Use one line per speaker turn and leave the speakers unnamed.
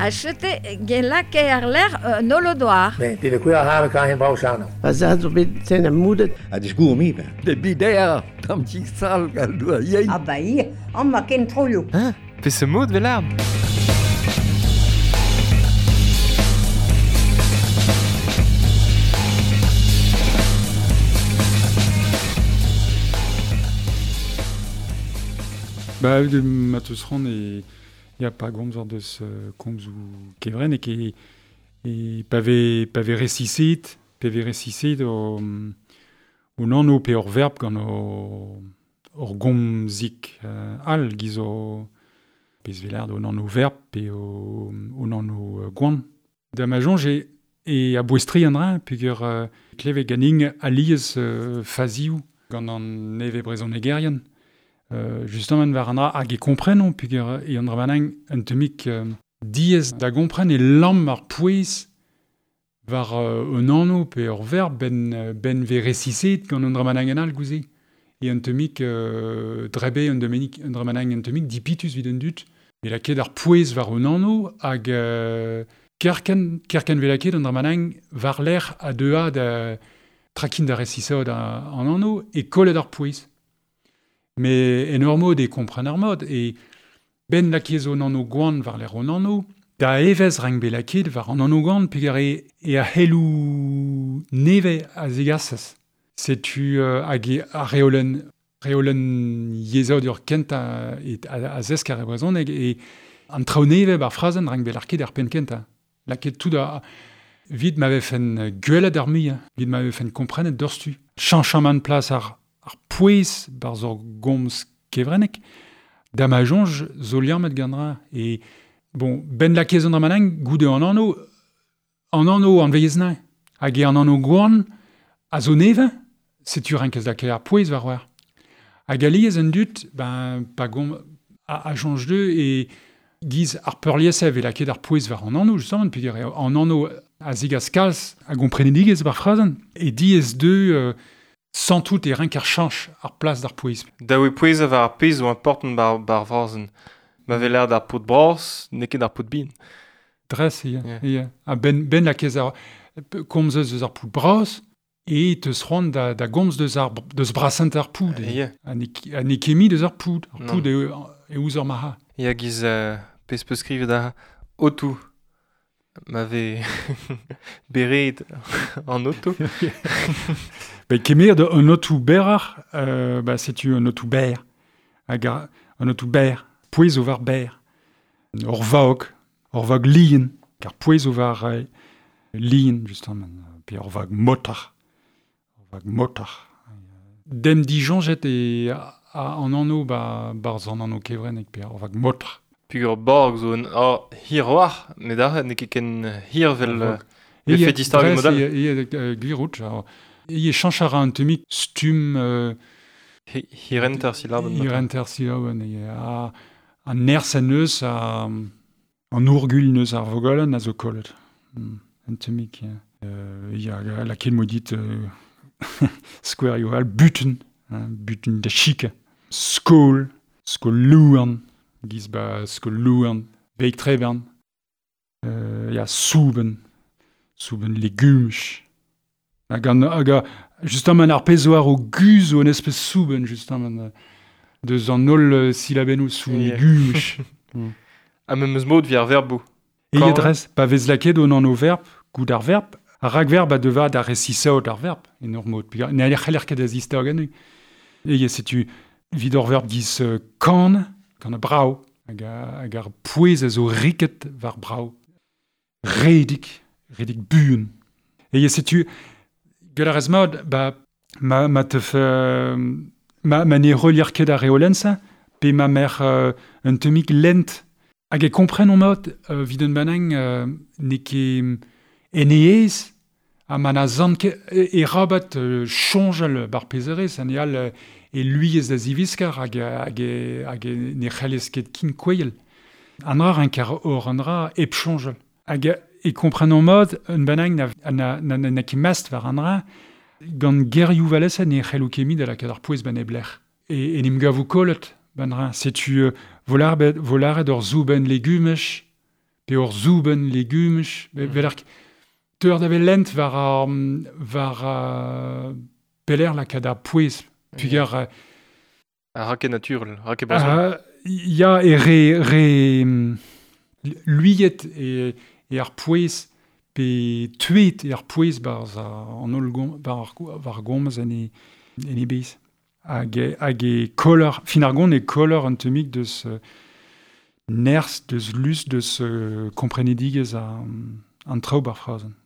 Achete gen lake ar ler nolodoar.
Ne, det er kuer har kan hen brau sano.
Pa za zo bet ten am moudet.
A disgour mi ben.
De bider, tam ti sal gal doa yein.
Ah ba ia, an ma ken troio.
Hein? Pe se mod vel
Ba, de ma teus ran e ya pa gomz ar deus komz ou kevren e ke e pa ve resiset o nanno pe ur verb gant o ur gomzik al giz o pez velard o nanno verb pe o nanno gwan. Da ma jonge e a bouestri an dra peogwir kleve ganin aliez fazioù gant an neve brezhonegerian. Justement war an dra hag e komprenon peogwir e an dra banang un temik diez da gompren e lamm ar pouez war un anno pe ur verb ben ve resiset gant an dra banang an al gouze. E un temik drebe un domenik un dra banang un temik dipitus vid un dut. E la ket ar pouez war un anno hag kerken ve la ket an dra banang war l'air a dea da trakin da resisod an anno e kollet ar pouez. Me en ur mod e kompren ar mod, e ben lakiez o nanno gwan war l'air o nanno, da evez rang be laket war an nanno gwan peogwir e a helou neve a zegasez. Setu hag e a reolen yezhaod ur kenta e a zesk ar e brezhoneg e an traoù neve bar frazenn rang be larket ar penn kenta. Laket tout a vid ma vefen gwelet ar muiañ, vid ma vefen komprenet deurstu. Chañchamant plas ar pouez bar zo gomz kevrenek, da ma jonge zo liammet gant dra. E, bon, ben lakez an dra manang, goude an anno an veiez nañ. Hag e an anno gwan a zo neve, setu renkez lakaet ar pouez war war. Hag aliez un dut, ben, pa gom a jonge deux e giz ar peurliesev e lakaet ar pouez war an anno, justement, peogwir an anno a zigas kalz a gomprenedigez bar frazenn. E diez deux santout e renk ar chanch ar plas d'ar pouez.
Da oe pouez a war ar pez zo important bar vrazen. Ma vel aer d'ar pod bras, n'eo ket d'ar pod bin.
Dres, e,
Yeah.
e, a ben lakez ar komz eus ar poud bras, e teus c'hoant da gomz deus brasent ar poud. E.
Yeah.
Ha ne kemi deus ar poud. Ar
Non.
poud e ouz ar maha.
Ya giz pez peus skrivet da otou. Ma ve beret an oto.
Ba, kemer de un otou berrac'h, ba, setu un otou ber. Hag un otou ber. Pouez o war ber. Ur vag lien. Kar pouez o war lien, justement. Pe ur vag motar. Ur vag motar. Dem dijonjet e an anno ba, barz an anno kevrenek, pe ur vag motar.
Pugur borg zo un hir war, met ar n'eo ket ken hir vel
E
e fet istor
dres,
modal.
E, gwir out, e chanch a ra un temik stum
Hirenter silaben.
Hirenter silaben, e a nerz en eus, an ourgul neus ar vogalenn a zo kollet. Un temik, ya. Ya, la ket modit square yo al butun, hein, butun da chika. Skol, skol louan, giz ba skol louan, veik trebern. Ya, souben legumch. Hag justement ar pezh war o guz o an espèce souben, justement, deus an holl silabennoù sou
Yeah.
legumch.
A memes mod vi ar verbou.
E
Quand-
ye dres, pa vez laket o an o verb, gout ar verb, ar ragverb a deva da resisaot ar verb, en ur mod. Peogwir ne c'heller ket da zistag anu. E ye setu vid ur verb giz kan a brao, hag ar pouez a zo riket war brao. Redig buan. E ye setu, gant ar ez mod, ba, ma teuf, ma ne relier ket ar reolenn-sa, pe ma mer un temik lent. Hag e kompren on mod, vid un banang ne ket en eez, ha ma na zant ket e rabat chonjal bar pezerez, an e al e luiez da ziviskar hag e ne c'hellez ket kin kouel. An ra renk ar or an ra ep chonjal. Hag e kompren on mod, un banang na ket mast war an ra, gant gerioù valesa ne c'hellou ket da lakaat ar pouez ban eblec'h. E nim gavou kollet ban ra. Setu volaret ur zouben legumech, pe pe ur zouben legumaj, vel ar teur da vel lent war ar, war peler lakaat ar pouez. Pugar...
A ra ket naturel, ra ket brezhoneg.
Ya, e re luiet e ar pouez, pe tuet e ar pouez barz an holl gom, war gomz en e bez. Hag e koller, fin ar gont e koller an temik deus nerz, deus lus, deus komprenedigez an traoù bar frazenn.